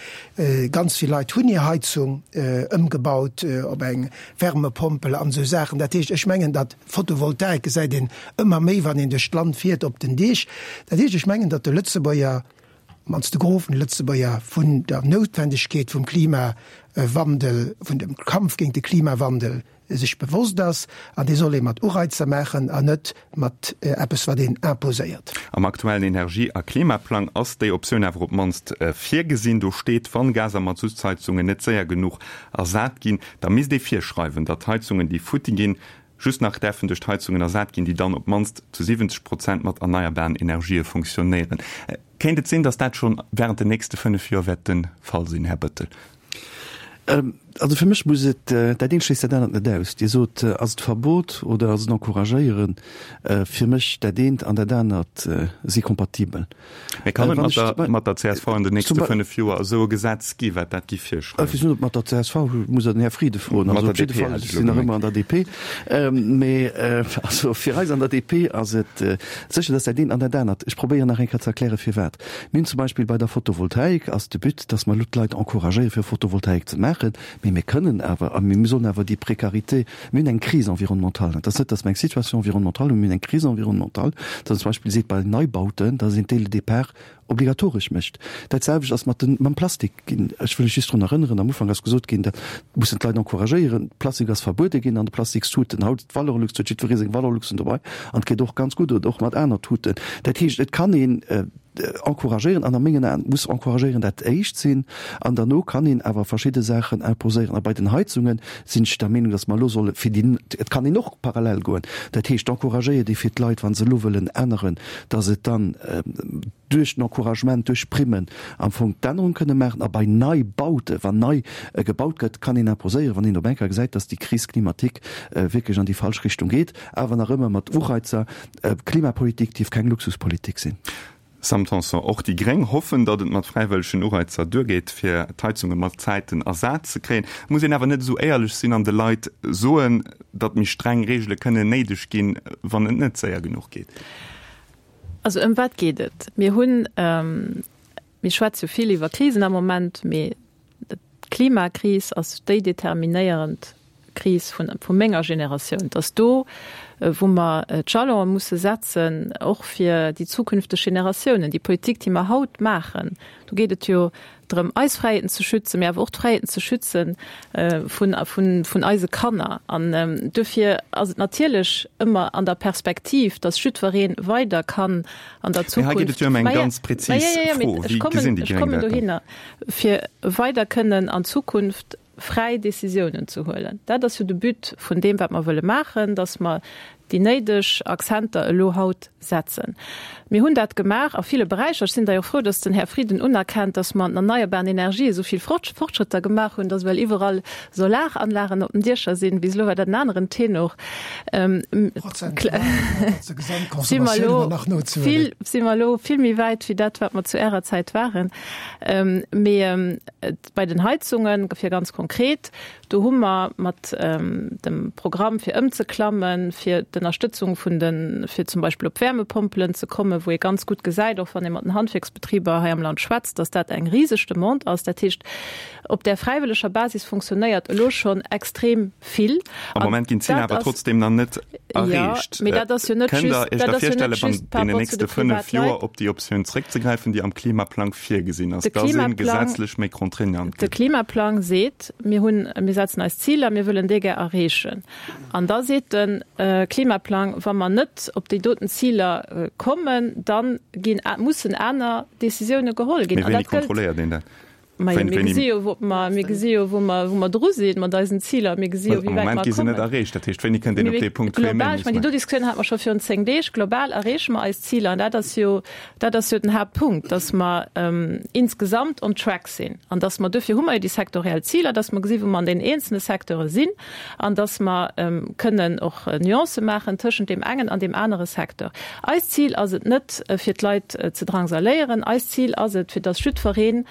ganz vill Leit hunn hir Heizung ëmgebaut op eng Wärmepompel an esou Saachen. Dat heescht, ech mengen, datt Photovoltaik gesäit een ëmmer méi, wann een duerch d'Land fiert, op den Deeg. Dat heescht, ech mengen, datt de Lëtzebuerger, op d'mannst de Gros vun de Lëtzebuerger, vun der Noutwendegkeet vum Klimawandel, vun dem Kampf géint de Klimawandel sech bewosst ass, an dee soll ee mat Ureizer maachen an net mat eppes, wat een imposéiert. Am aktuellen Energie a Klimaplang ass déi Optioun awer op d'mannst virgesinn. Do steet, wann Gas a Mazuttsheizungen net séier genuch ersat ginn, da misst ee virschreiwen, datt Heizungen, déi futti ginn, just nach däerfen duerch d'Heizungen ersat ginn, déi dann op d'mannst zu 70 Prozent mat erneierbaren Energië funktionéieren. Kéint et sinn, datt dat schonn wärend den nächste 5 Joer wäert de Fall sinn, Här Bettel? Also fir mech muss et, dat eent schléisst dat anert net aus. Dir sot, ass et Verbot oder ass et Encouragéieren? Fir mech dat eent an dat anert si kompatibel. Mee kann et mat der, mat der csv an den nächste 5 Joer esou e Gesetz gi wat dat gi virschreift? Ech weess net, ob mat der csv, muss Der den Här Frieden froen. Also op jidde Fall, ech sinn nach ëmmer an der DP. Mee also fir eis an der DP ass et sécher, dass dat eent an dat anert, ech probéieren nach eng Kéier ze erklären, firwat. Mir hunn zum Beispill bei der Photovoltaik ass de But, dass mer elo d'Leit encouragéieren, fir Photovoltaik ze maachen, mee mir kënnen awer a mir sollen awer déi Précarité, mir hunn eng Crise environnementale, et ass net, dass mer eng Situation environnementale hunn, mir hunn eng Crise environnementale, dass een zum Beispill seet bei Neibauten, dass een dès le départ obligatoresch mécht. Dat selwecht ass mat den, mam Plastik ginn. Ech wëll lech just drun erënneren, am Ufank ass gesot ginn, dat mussen d'Leit encouragéieren, Plastik ass verbuede ginn an de Plastikstuten. Haut d'Valorlux, huet jiddweree seng Valorluxen dobei an et geet och ganz gutt oder och mat aner Tuten. Dat heescht, et kann een encouragéieren an a mengen Aen muss encouragéieren dat éischt sinn an derno kann een awer verschidde Saachen imposéieren. A bei den Heizunge sinn ech der Meenung, datt mer elo solle fir déi, et kann een och parallel goen, dat heescht encouragéiert ee fir d'Leit, wa se elo wëllen änneren, datt et dann, duerch den Encouragement, duerch Primmen am Fong d'Ännerung kënne maachen. A bei Neibaute, wann nei gebaut gëtt, kann een imposéieren, wann een op eng Kéier gesäit, dass déi Crise climatique wierklech an déi falsch Richtung geet, awer nach ëmmer mat Ureizer. Klimapolitik dierf keng Luxuspolitik sinn. Sam Tanson, Och déi Gréng hoffen, datt et mat fräiwëllegen Ureizer duergeet, fir d'Heizunge mat Zäiten ersat ze kréien. Et muss een awer net esou éierlech sinn an de Leit soen, datt méi streng Reegele kënnen néideg ginn, wann et net séier genuch geet. Also ëm wat geet et? Mir hunn, mir schwätze jo vill iwwer Krisen am Moment, mee d'Klimakris ass déi determinéierend Kris vun, vu menger Generatioun. Et ass do, wou mer d'Jalonë musse setzen, och fir déi zukünfteg Generatiounen. Déi Politik, déi mer haut maachen, do geet et jo drëm eis Fräiheeten ze schützen, mee awer och d'Fräiheeten ze schützen vun, vun, vun eise Kanner. An duerfir ass et natierlech ëmmer an der Perspektiv, dass jiddweree weider kann an der Zukunft. Mee hei geet et jo ëm eng ganz prezis Fro, Wéi gesinn déi Gréng dat dann? Fir weider kënnen an Zukunft fräi Décisiounen ze huelen. Dat ass jo de But vun deem, wat mer wëlle maachen, dass mer déi néideg Accenter elo haut setzen. Mir hunn dat gemaach a ville Beräicher. Ech sinn da jo frou, dass den Här Frieden unerkennt, dass mer an den erneierbaren Energië esou vill Fortschrëtter gemaach hunn, dass ewell iwwerall Solaranlagen op den Diecher sinn. Bis elo war dat en aneren Tenor. Si mer elo vill, si mer elo vill méi wäit wéi dat, wat mer zu Ärer Zäit waren. Mee Bei den Heizungen, fir ganz konkret, do hu mer mat dem Programm fir ëmzeklammen, fir d'Ënnerstëtzung vun de, fir zum Beispill op Wärmepompelen ze kommen, wou ee ganz gutt gesäit, och wann ee mat den Handwierksbetriber hei am Land schwätzt, dass dat eng riseg Demande ass. Dat heescht, op där fräiwëlleger Basis funktionéiert elo schonn extrem vill. Am Moment ginn d'Ziler awer trotzdem nach net erreecht. Mee dat ass jo net just, Kënnt Der Iech da virstellen, an deenen nächste 5 Joer op déi Optioun zréckzegräifen, déi am Klimaplang virgesinn ass, dass ee gesetzlech méi contraignant gëtt? De Klimaplang seet, mir hunn, mir setzen eis Ziler, mir wëllen déi gär erreechen. An da seet de Klimaplang, wa mer net op déi doten Ziler kommen, da ginn, mussen aner Décisioune geholl ginn. Mee wéini kontrolléiert een dat? Majo, mir gesi jo, wou mer, mir gesi jo, wou mer, wou mer dru sinn mat eisen Ziler. Mir gesi jo, wéi wäit mer kommen. Am Moment gi se net erreecht. Dat heescht, wéini kënnt een op dee Punkt, wou ee méi muss maachen? Global, ech mengen, déi do Diskussioun hate mer scho virun 10 Deeg. Global erreeche mer eis Ziler. An dat ass jo, dat ass jo den Haaptpunkt, dass mer insgesamt on track sinn an dass mer, duerfir hu mer jo déi sektoriell Ziler, dass mer gesi wou mer an deenen eenzelne Secteure sinn an dass mer kënnen och Nuancë maachen tëschent deem engen an deem anere Secteur. Eist Zil ass et net, fir d'Leit ze drangsaléieren. Eist Zil ass et, fir dass jiddweree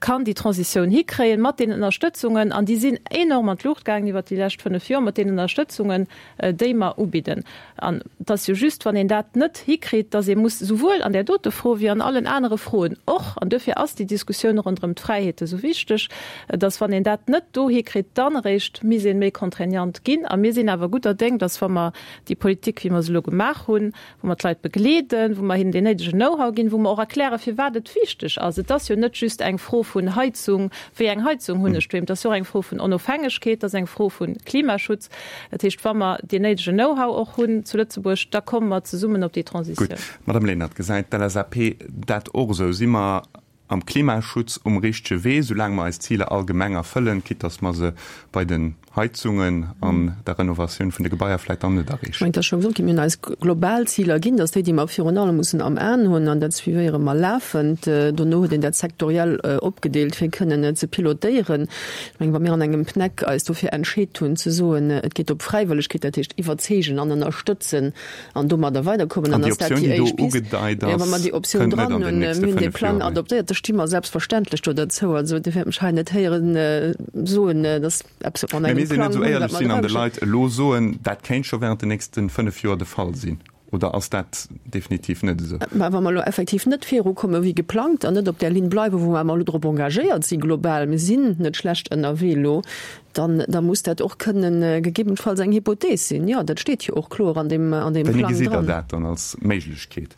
kann déi Transitioun hikréien mat deenen Ënnerstëtzungen, an déi sinn enorm an d'Luucht gaangen iwwert déi lescht fënnf Joer, mat deenen Ënnerstëtzungen, déi mer ubidden. An et ass jo just, wann een dat net hikritt, dass ee muss souwuel an där dote Fro wéi an allen anere Froen och, an duerfir ass déi Diskussioun ronderëm d'Fräiheete sou wichteg, dass wann een dat net do hikritt, dann eréischt misst ee méi contraignant ginn. A mir sinn awer gudder Déng, dass wa mer déi Politik, wéi mer se elo gemaach hunn, wou mer d'Leit begleeden, wou mer hinnen deen néidegen Know-how ginn, wou mer och erklären, firwat et wichteg ass. Et ass jo net just eng Fro vun Heizung, wéi eng Heizung hunn ech doheem, et ass jo och eng Fro vun Onofhängegkeet, et ass eng Fro vu Klimaschutz. Dat heescht, wa mer deen néidegen Know-how och hunn zu Lëtzebuerg, da komme mer zesummen op déi Transitioun. Gutt. Madame Lenert, gesäit d'LSAP dat och esou? Si mer am Klimaschutz um richtege Wee, soulaang mer eis Ziler allgemeng erfëllen, quitte dass mer se bei den Heizungen an der Renovatioun vun de Gebaier vläit dann net erreechen? Ech mengen, et ass scho gesot ginn, mir hunn eis global Ziler ginn, dass déi, déi mer virun allem mussen am Aen hunn, an dat suivéiere mer lafend. Dono huet een dat sektoriell opgedeelt, fir kënnen ze pilotéieren. Ech mengen, wa mir an engem PNEC eis dofir entscheet hunn ze soen, et geet op Fräiwëllegkeet, dat heescht iwwerzeegen an ënnerstëtzen an domadder weiderkommen, dann ass dat déi éischt Pist. Jo, wa mer déi Optioun dran hunn, mir hunn dee Plang adoptéiert, da sti mer selbstverständlech do derzou. Also Dir wäert mech hei net héieren soen, datt eppes, wat mer an engem Plang hunn, wat mer dra hunn. An de Leit elo soen, dat kéint scho während den nächste 5 Joer de Fall sinn. Oder ass dat definitiv net esou? Mä wa mer elo effektiv net virukomme wéi geplangt an net op där Linn bleiwen, wou mer elo drop engagéiert si global, mir sinn net schlecht ënnerwee elo, dann da muss dat och kënnen gegebenfalls eng Hypothees sinn. Jo, dat steet jo och kloer an deem an deem Wéini Plang gesitt Der dran. dat dann als Méiglechkeet?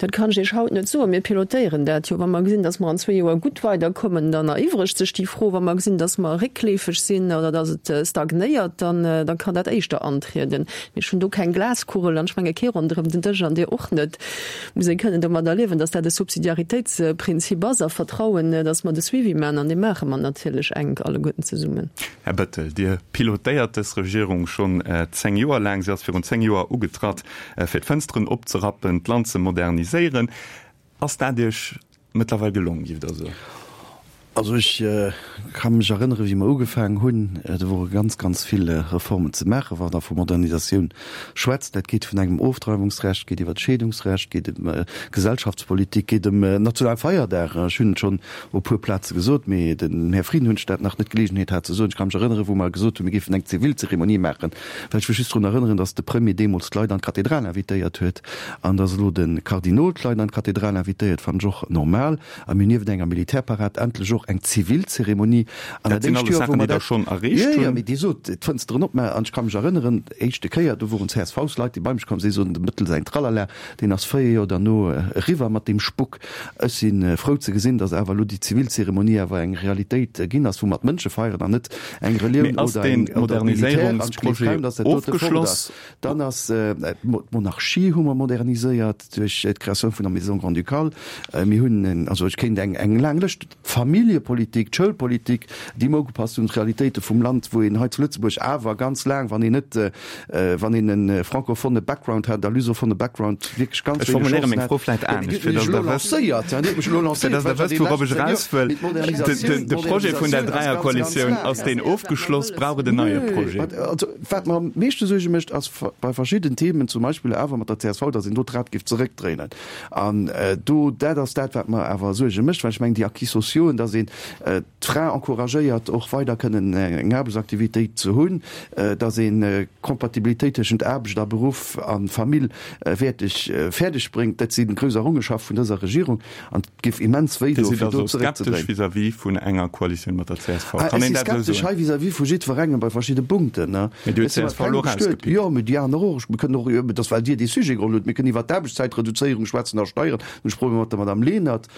Dat kann ech Iech haut net soen. Mir pilotéieren dat jo. Wa mer gesinn, datt mer an zwee Joer gutt weiderkommen, dann eriwwregt sech déi Fro. Wa mer gesinn, datt mer réckleefeg sinn oder datt et stagnéiert, dann da kann dat éischter antrieden. Mee ech hunn do keng Glaskugel an ech menge kee ronderëm den Dësch an Dir och net. Muss ee kënnen domadder liewen, datt dat e Subsidiaritéitsprinzip ass a vertrauen, datt mer de Suivi maachen. An dee maache mer natierlech enk alleguerten zesummen. Här Bettel, Dir pilotéiert dës Regierung schonn 10 Joer laang. Si ass virun 10 Joer ugetratt. Fir d'Fënsteren opzerappen, d'Land ze moderniséieren. Ass dat Iech mëttlerweil gelong, giff Der soen? Also ech ka mech erënnere wéi mer ugefaangen hunn, do wore ganz, ganz vill Reformen ze maachen. Wann Der vu Modernisatioun schwätzt, dat geet vun engem Ofdreiwungsrecht, geet iwwer d'Scheedungsrecht, geet ëm Gesellschaftspolitik, geet ëm national Feierdag. Ech hunn et schonn op e puer Plaze gesot, mee dem Här Frieden hunn ech dat nach net d'Geleegenheet hat ze soen. Ech ka mech erënnere wou mer gesot hunn, mir géifen eng Zivilzeremonie maachen, Well ech wëll just drun erënneren, dass de Premier deemools d'Leit an d'Kathedral invitéiert huet an dass elo de Kardinol d'Leit an d'Kathedral invitéiert, fannen ech och normal. A mir hunn niewent enger Militärparad endlech och eng zivil Zeremonie. An dat éischt Joer, wou mer dat. Schonn erreecht hunn. Jo, jo, mee Dir sot, d'Fënsteren opmaachen. An ech ka mech erënneren, éischte Kéier, do woren CSV-s-Leit, déi bei mech komm sinn, soten, dem Bëttel säin Tralala, deen ass 4 Joer derno eriwwer mat deem Spuck. Ech si frou ze gesinn, datt awer elo déi zivil Zeremonie awer eng Realitéit ginn ass, wou mer d'Mënsche feieren an net eng Relioun oder eng oder Militär. An ech gleef kaum, datt dat dote fort ass. Dann ass d'Monarchie hu mer moderniséiert duerch d'Créatioun vun der Maison grand-ducale. Mir hunn, also ech kéint eng eng laang Lëscht, d'Familljepolitik, d'Schoulpolitik, déi mer ugepasst hunn, d'Realitéite vum Land, wou een hei zu Lëtzebuerg awer ganz laang, wann een net, wann een e francophone Background hat, a lusophone Background, wierklech ganz wéineg Chancen hat. Ech formuléiere meng Fro vläicht anescht, fir datt Der wësst, fir datt Der wësst, wourop ech eraus wëll. De Projet vun der Dräierkoalitioun, ass deen ofgeschloss? Brauch et en neie Projet? Also, wat mer am meeschte Suerge mécht, ass bei verschidden Themen, zum Beispill awer mat der csv, datt een do d'Rad géif zeréckdréinen. An do, dat ass dat, wat mer awer Suerge mécht, well ech mengen, déi Acquis sociauxen, datt een d'Fra encouragéiert, och weider kënnen eng Aarbechtsaktivitéit ze hunn, datt een d'Compatibilitéit tëschent Aarbecht a Beruff a Famill wäerteg fäerdeg bréngt, dat si grouss Errungenschafte vun dëser Regierung. An et géif immens wéi doen, fir do zeréckzedréinen. Dir sidd also skeptesch vis-à-vis vun enger Koalitioun mat der csv? Kann een dat esou soen? Ech si skeptesch hei vis-à-vis vu jiddwerengem bei verschidde Punkten. Mee Dir hutt d'CSV elo erausgepickt. Jo, mee déi aner och. Mir kënnen och, et ass well Dir dee Sujet geholl hutt, mir kënnen iwwert d'Aarbechtszäitreduzéierung schwätzen a Steieren. Hunn ech Problemer mat der Madame Lenert,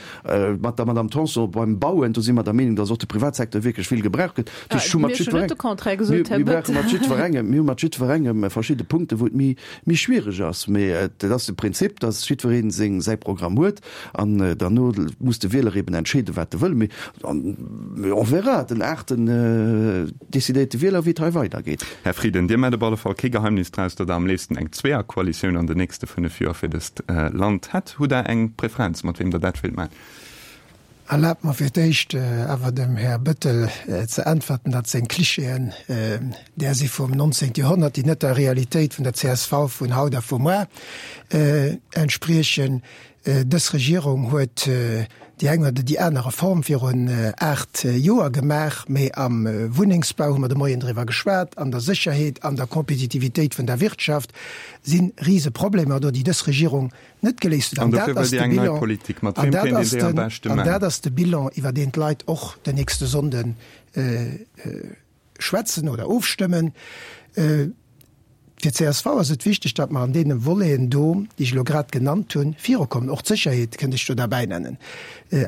mat der Madame Tanson beim Bauen. Do si mer der Meenung, dass och de Privatsecteur wierklech vill gebraucht gëtt. Dat heescht, ech hu mat jiddwerengem, mir brauche mat jiddwerengem, mir hu mat jiddwerengem verschidde Punkten, wou et méi, méi schwiereg ass. Mee et ass de Prinzip, dass jiddweree seng, säi Programm huet an derno muss de Wieler eben entscheeden, wat e wëll. Mee on verra, den aachten decidéiert de Wieler, wéi et hei weidergeet. Här Frieden, Dir maacht op alle Fall kee Geheimnis draus, datt Der am léifsten eng Zweeërkoalitioun an den nächste 5 Joer fir dëst Land hätt. Hutt Der eng Preferenz, mat weem Der dat wéilt maachen? Erlaabt mer fir d'éischt awer dem Här Bettel ze äntwerten, datt seng Klischeeën där si vum 19. Joerhonnert, déi net der Realitéit vun der csv vun haut a vu muar entspriechen. Dës Regierung huet déi eng oder déi aner Reform virun 8 Joer gemaach, mee am Wunnengsbau hu mer de Moien driwwer geschwat, an der Sécherheet, an der Kompetitivitéit vun der Wirtschaft si Riseproblemer do, déi dës Regierung net geléist huet. An dat ass de Bilan, an dat ass den, an dat ass de Bilan, iwwer deen d'Leit och den nächste Sonnde schwätzen oder ofstëmmen. Fir d'CSV ass et wichteg, datt mer an deene Voleten do, déi ech elo grad genannt hunn, virukommen. Och d'Sécherheet kënnt ech do derbäi nennen.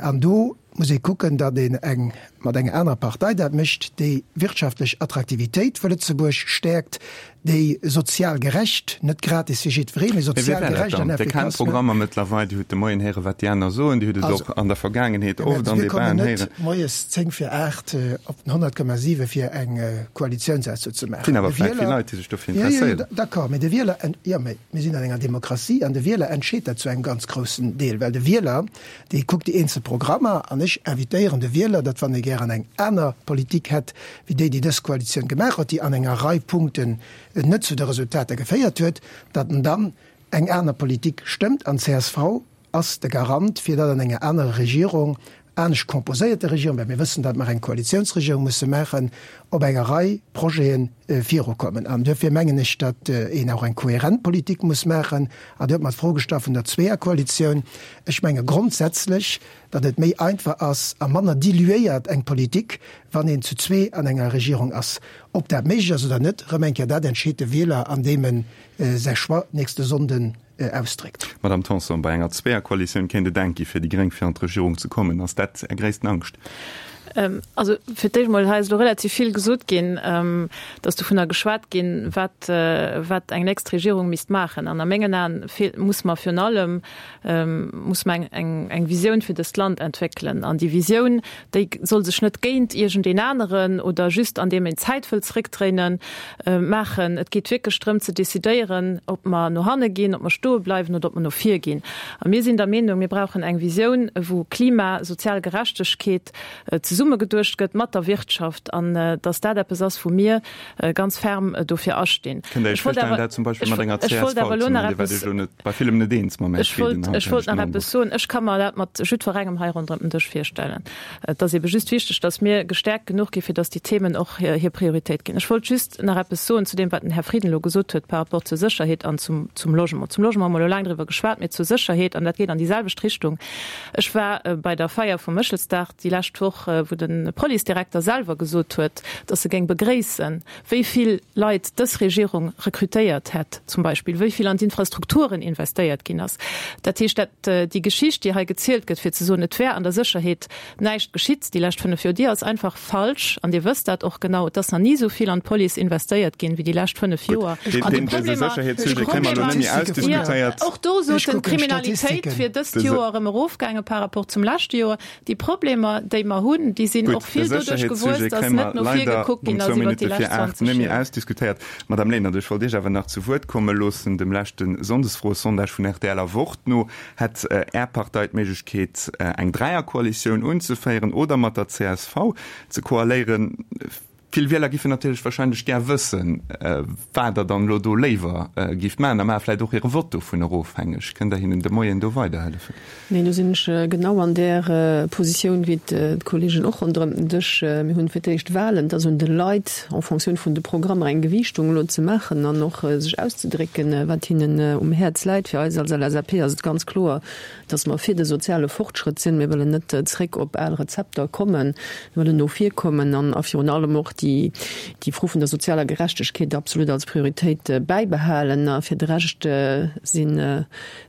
An do muss ee kucken, datt een eng mat enger anerer Partei dat mécht, déi wirtschaftlech Attraktivitéit vu Lëtzebuerg stäerkt, déi sozial gerecht, net gratis fir jiddweree, mee sozial gerecht an efficace. Dir kennt d'Programmer mëttlerweil, Dir hutt de Moien héieren, wat déi aner soen, Dir hutt et och an der Vergaangenheet oft an Debaten héieren. Mir kommen net moies 10 vir 8 op den 100,7 fir eng Koalitiounsausso ze maachen. Et sinn awer vläicht vill Leit, déi sech dofir interesséieren. Jo, jo, d'accord, mee de Wieler, jo, mee mir sinn an enger Demokratie an de Wieler entscheet dat zu engem ganz groussen Deel, well de Wieler, dee kuckt déi eenzel Programmer an ech invitéieren de Wieler, datt wann e gären eng aner Politik hätt wéi déi, déi dës Koalitioun gemaach huet, déi an enger Rei Punkten net zu de Resultater geféiert huet, datt en dann eng aner Politik stëmmt. An csv ass de Garant, fir datt an enger anerer Regierung, anescht composéierter Regierung, well mir wëssen, datt mer eng Koalitiounsregierung musse maachen, op enger Rei Projete virukommen. An duerfir mengen ech, datt een och eng kohärent Politik muss maachen. An Dir hutt mer d'Fro gestallt vun der Zweeërkoalitioun. Ech menge grondsätzlech, datt et méi einfach ass a manner diluéiert eng Politik, wann een zu zwee an enger Regierung ass. Ob dat méiglech ass oder net, erëm eng Kéier, dat entscheet de Wieler, andeem en säi Choix nächste Sonnden ausdréckt. Madame Tanson, bei enger Zweeërkoalitioun kéint et enk gi fir déi Gréng fir an d'Regierung ze kommen. Ass dat Är gréissten Angscht? Also fir d'éischt emol, hei ass elo relativ vill gesot ginn, et ass dovunner geschwat ginn, wat, wat eng nächst Regierung misst maachen. An a mengen Aen muss mer virun allem, muss mer eng, eng, eng Visioun fir dëst Land entwéckelen. An déi Visioun, déi soll sech net géint iergendeen aneren oder just andeem een d'Zäit wëllt zréckdréinen, maachen. Et geet wierklech drëm ze decidéieren, ob mer no hanne ginn, ob mer stoe bleiwen oder ob mer no vir ginn. A mir sinn der Meenung, mir brauchen eng Visioun, wou Klima, sozial Gerechtegkeet zesummegeduecht gëtt mat der Wirtschaft an dass dat eppes ass, wou mir ganz ferm dofir astinn. Kënnt Der Iech virstellen, dat zum Beispill mat enger csv ze maachen? Dir waart Iech elo net bei villem net eens mam Här Frieden haut, Ech wollt nach eppes soen. Ech ka mer dat mat jiddwerengem hei ronderëm den Dësch virstellen. Et ass ebe just wichteg, dass mir gestärkt genuch ginn, fir dass déi Themen och hir Prioritéit ginn. Ech wollt just nach eppes soen zu deem, wat den Här Frieden elo gesot huet par rapport zur Sécherheet an zum, zum Logement. Zum Logement hu mer elo laang driwwer geschwat, mee zur Sécherheet, an dat geet an déi selwecht Richtung. Ech war bei der Feier vum Méchelsdag déi lescht Woch, wou de Policedirekter selwer gesot huet, dass e géing begréissen, wéi vill Leit dës Regierung rekrutéiert hätt zum Beispill, wéi vill an d'Infrastrukturen investéiert ginn ass. Dat heescht, dat déi Geschicht, déi hei gezielt gëtt, fir ze soen, et wär an der Sécherheet näischt geschitt déi lescht 5 Joer, déi ass einfach falsch. An Dir wësst dat och genau. Et ass nach ni esou vill an d'Police investéiert ginn, wéi déi lescht 5 Joer. An déi Problemer, och do sot en, d'Kriminalitéit wier dëst Joer erëm erofgaange par rapport zum leschte Joer. Déi Problemer, déi mer hunn, déi sinn och vill doduerch gewuess, datt net no vir gekuckt ginn ass iwwert déi lescht 20 Joer. Ausdiskutéiert. Madame Lenert, ech wollt Iech awer nach zu Wuert komme loossen. Dem leschte Sonndesfroesondage vun rtl a Wort no hätt Är Partei d'Méiglechkeet, eng Dräierkoalitioun unzeféieren oder mat der csv ze koaléieren. Vill Wieler giffen natierlech wahrscheinlech gär wëssen, wat Der dann elo do léiwer gifft maachen a maache vläicht och hire Vott dovunner ofhängeg. Kënnt Der hinnen de Moien do weiderhëllefen? Neen, do sinn ech genau an där Positioun wéi d'Kollegen och ronderëm den Dësch. Mir hunn fir d'éischt Wahlen. Et ass un de Leit, en Fonctioun vun de Programmer eng Gewiichtung elo ze maachen an och sech auszedrécken, wat hinnen um Häerz läit. Fir eis als LSAP ass et ganz kloer, dass mer fir de soziale Fortschrëtt sinn. Mir wëllen net zréck op al Rezepter kommen. Mir wëllen no vir kommen an a virun allem och déi. déi, déi Fro vun der sozialer Gerechtegkeet absolut als Prioritéit bäibehalen. A fir de Rescht sinn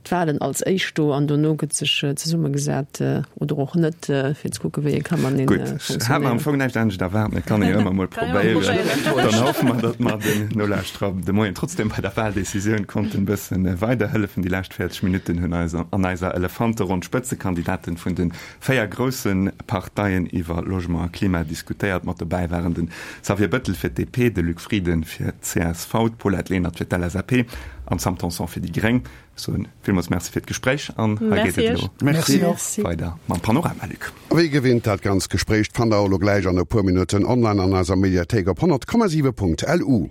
d'Wahlen als éischt do an dono gëtt sech zesummegesat oder och net, fir ze kucken, wéi ee ka matenee Gutt, ech hat mer am Fong näischt anescht erwaart, mee et kann ee jo ëmmer mol probéieren. Dann hoffe mer, datt mer den Nolauschterer de Moien trotzdem bei der Wahldecisioun konnten e bësse weiderhëllefen. Déi lescht 40 Minutten hunn eis an eiser Elefanteronn d'Spëtzekandidaten vun de 4 grousse Parteien iwwer Logement a Klima diskutéiert. Mat dobäi waren de Xavier Bettel fir d'DP, de Luc Frieden fir d'CSV, d'Paulette Lenert fir d'LSAP an d'Sam Tanson fir déi Gréng. Ech soen villmools Merci fir d'Gespréich an hei geet et elo weider mam Panorama, Luc. A wéi gewinnt, dat ganzt Gespréich fannt der och elo gläich an e puer Minutten online an eiser Mediathéik op 100,7.lu.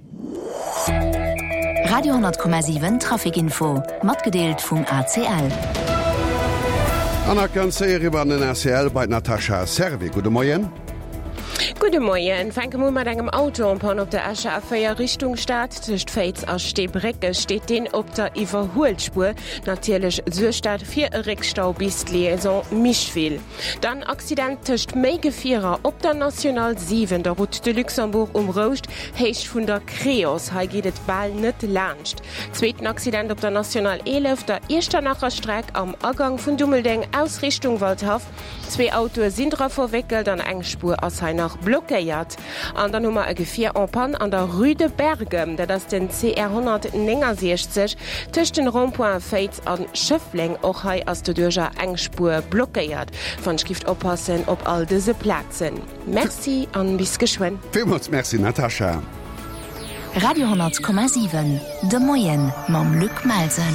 Radio 10,7 Trafic Info, matgedeelt vum ACL. An nach ganz séier eriwwer an den ACL bei d'Natasha Servais. Gudde Moien. Gudde Moien. Fänke mer u mat engem Auto en panne op der Escher A4 Richtung Stad. Tëscht Féiz a Steebrécke steet deen op der Iwwerhuelspuer. Natierlech suergt dat fir e Réckstau bis d'Liaison Micheville. Dann Accident tëscht méi Gefierer op der National 7, der Route de Luxembourg um Rouscht, Héicht vun der Creos. Hei geet et bal net laanscht. Zweeten Accident op der National 11, der Iechternacher Streck am Agang vun Dummeldeng aus Richtung Waldhaff. Zwee Autoe sinn dra verwéckelt an eng Spuer ass hei nach blockéiert. An dann hu mer e Gefier en panne an der Rue de Bergem, dat ass den CR 169 tëscht den Rond-pointen Féiz a Schëffleng. Och hei ass doduercher eng Spuer blockéiert. Wann ech gift oppassen op all dëse Plazen. Merci an bis geschwënn. Villmools Merci Natascha. Radio 10,7, De Moien mam Luc Melsen.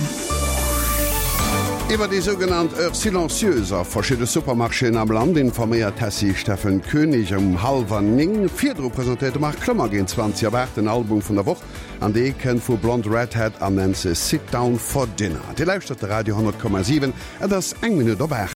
Iwwer déi sougenannt Heure silencieuse a verschidde Supermarchéen am Land informéiert d'Tessy Steffen Koenig um hallwer 9. Virdru presentéiert de Marc Clement géint 20 op 8 den Album vun der Woch an dee kënnt vu Blonde Redhead an nennt sech Sit Down For Dinner. Dir lauschtert de Radio 10,7, et ass eng Minutt op 8.